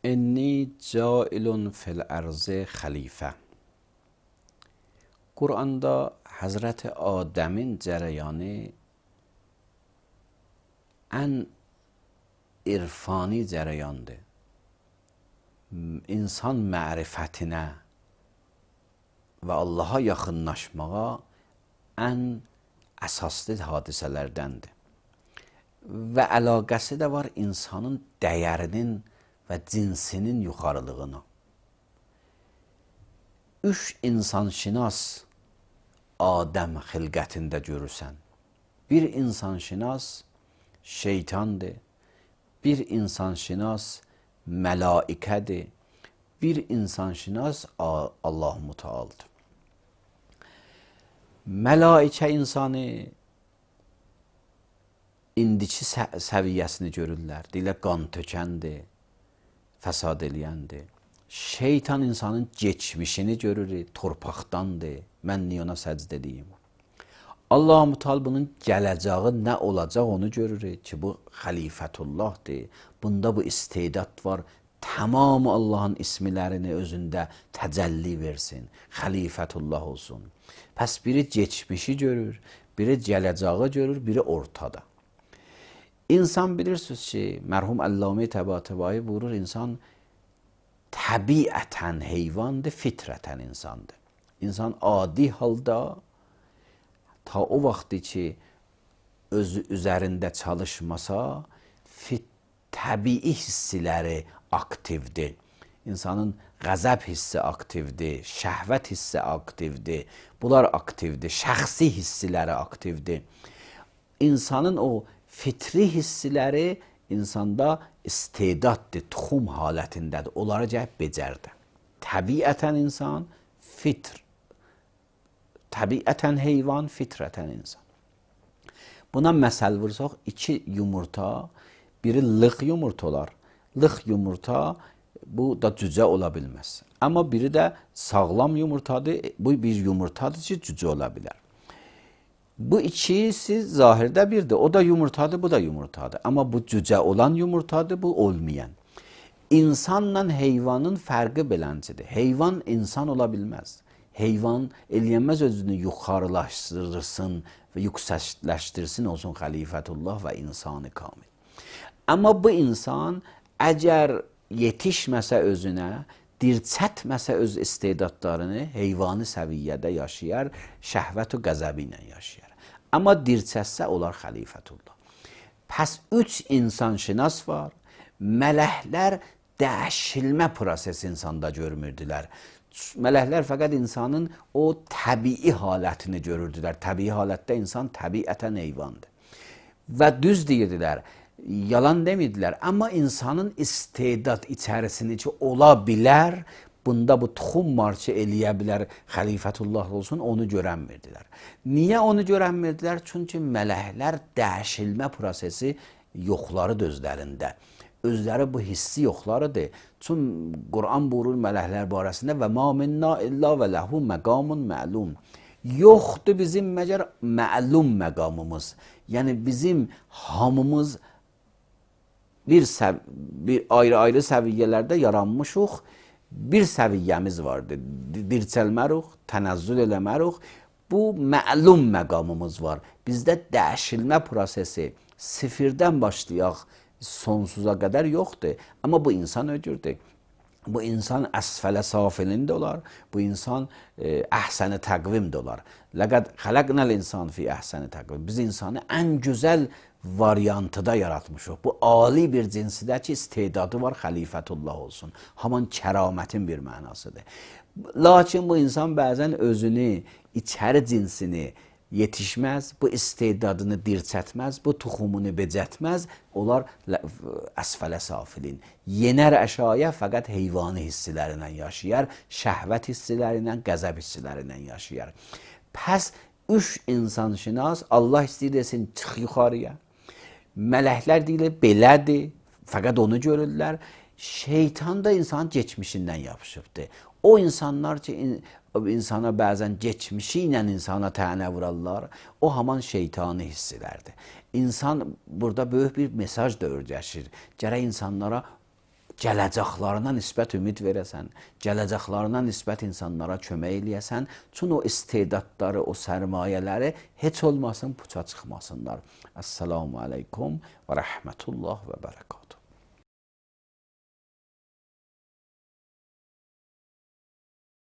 انی جائل فی الارض خلیفه. Quranda Həzrət Adəmin cərəyanı ən irfani cərəyandır. İnsan mərifətinə və Allaha yaxınlaşmağa ən əsaslı hadisələrdəndir. Və əlaqəsi də var insanın dəyərinin və cinsinin yuxarılığına. Üç insanşinas Adəm xilqətində görürsən. Bir insanşinas şeytandır, bir insanşinas mələikədir, bir insanşinas Allah-u Mütealdır. Mələikə insanı indiki səviyyəsini görürlər. Deyirlər qan tökəndir, fəsad eləyəndir. Şeytan insanın geçmişini görür, torpaqdandır. Mən niyə ona səcd edeyim? Allah-u Müteal bunun gələcəyi nə olacaq onu görür ki, bu xəlifətullahdır. Bunda bu istedad var. Tamamı Allahın ismilərini özündə təcəlli versin. Xəlifətullah olsun. Pəs biri geçmişi görür, biri gələcəyi görür, biri ortada. İnsan bilirsiniz ki, mərhum Əllamə Təbatəbai buyurur, insan təbiətən heyvandır, fitrətən insandır. İnsan adi halda ta o vaxtı ki, özü üzərində çalışmasa, təbii hissiləri aktivdir. İnsanın qəzəb hissi aktivdir, şəhvət hissi aktivdir, bunlar aktivdir, şəxsi hissiləri aktivdir. İnsanın o fitri hissiləri insanda istedaddır, tuxum halətindədir. Onları cəhb becərdir. Təbiətən insan, fitr. Təbiətən heyvan, fitrətən insan. Buna məsəl vursaq, iki yumurta, biri lıq yumurta olar. Lıq yumurta, bu da cücə ola bilməz. Amma biri də sağlam yumurtadır, bu bir yumurtadır ki, cücə ola bilər. Bu ikisi zahirdə birdir. O da yumurtadır, bu da yumurtadır. Amma bu cücə olan yumurtadır, bu olmayan. İnsanla heyvanın fərqi beləncidir. Heyvan insan ola bilməz. Heyvan eləyənməz özünü yuxarılaşdırsın və yüksəkləşdirsin, olsun xəlifətullah və insanı kamil. Amma bu insan əgər yetişməsə özünə, dirçətməsə öz istedadlarını heyvani səviyyədə yaşayar, şəhvət və qəzəbi ilə yaşayar. Amma dirçətsə olar xəlifətullah. Pəs üç insanşinas var. Mələklər dəyişilmə prosesi insanda görmürdülər. Mələklər fəqət insanın o təbii halətini görürdülər. Təbii halətdə insan təbiətən heyvandır. Və düz deyirdilər, yalan demirdilər. Amma insanın istedad içərisini ki, ola bilər, bunda bu tuxum var ki, eləyə bilər, xəlifətullah olsun, onu görənmirdilər. Niyə onu görənmirdilər? Çünki mələklər dəyişilmə prosesi yoxları özlərində. Özləri bu hissi yoxlarıdır. Çünki Quran buyurur mələklər barəsində və ma minna illa və ləhu məqamun məlum. Yoxdur bizim məgər məlum məqamımız. Yəni bizim hamımız bir ayrı-ayrı səviyyələrdə yaranmışıq. Bir səviyyəmiz vardır. Dirçəlmərik, tənəzzül eləmərik. Bu məlum məqamımız var. Bizdə dəyişilmə prosesi sıfırdan başlayaq, sonsuza qədər yoxdur. Amma bu insan öcürdür. Bu insan əsfələ safilində olar. Bu insan əhsəni təqvimdə olar. Ləqəd xələqnəl insan fi əhsəni təqvim. Biz insanı ən gözəl variantıda yaratmışıq. Bu ali bir cinsidə ki, istedadı var, xəlifətullah olsun. Haman kəramətin bir mənasıdır. Lakin bu insan bəzən özünü, içəri cinsini yetişməz, bu istedadını dirçətməz, bu tuxumunu becətməz, onlar əsfələ safilin. Yenər əşaya fəqət heyvani hissilərindən yaşayar, şəhvət hissilərindən, qəzəb hissilərindən yaşayar. Pəs üç insanşinas Allah istəyir desin, çıx yuxarıya. Mələklər deyilir, belədir, fəqət onu görürlər. Şeytan da insanın geçmişindən yapışıbdır. O insanlar ki, insana bəzən geçmişi ilə insana tənə vurarlar, o haman şeytani hissilərdir. İnsan burada böyük bir mesaj da öyrəşir. Gərək insanlara gələcəklarına nisbət ümid verəsən, gələcəklarına nisbət insanlara kömək eləyəsən, çünki o istedadları, o sərmayələri heç olmasın puça çıxmasınlar. Əssalamu aleykum və rəhmətullah və bərəkatuhu.